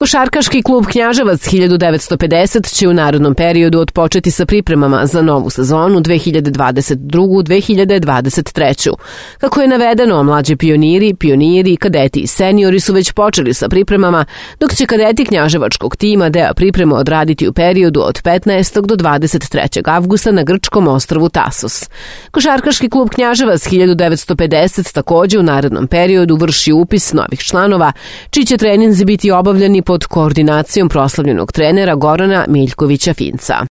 Košarkaški klub Knjaževac 1950 će u narednom periodu otpočeti sa pripremama za novu sezonu 2022-2023. Kako je navedeno, mlađi pioniri, kadeti i seniori su već počeli sa pripremama, dok će kadeti knjaževačkog tima deo priprema odraditi u periodu od 15. do 23. avgusta na grčkom ostrvu Tasos. Košarkaški klub Knjaževac 1950 takođe u narednom periodu vrši upis novih članova, čiji će treninzi biti obavljeni pod koordinacijom proslavljenog trenera Gorana Miljkovića Finca.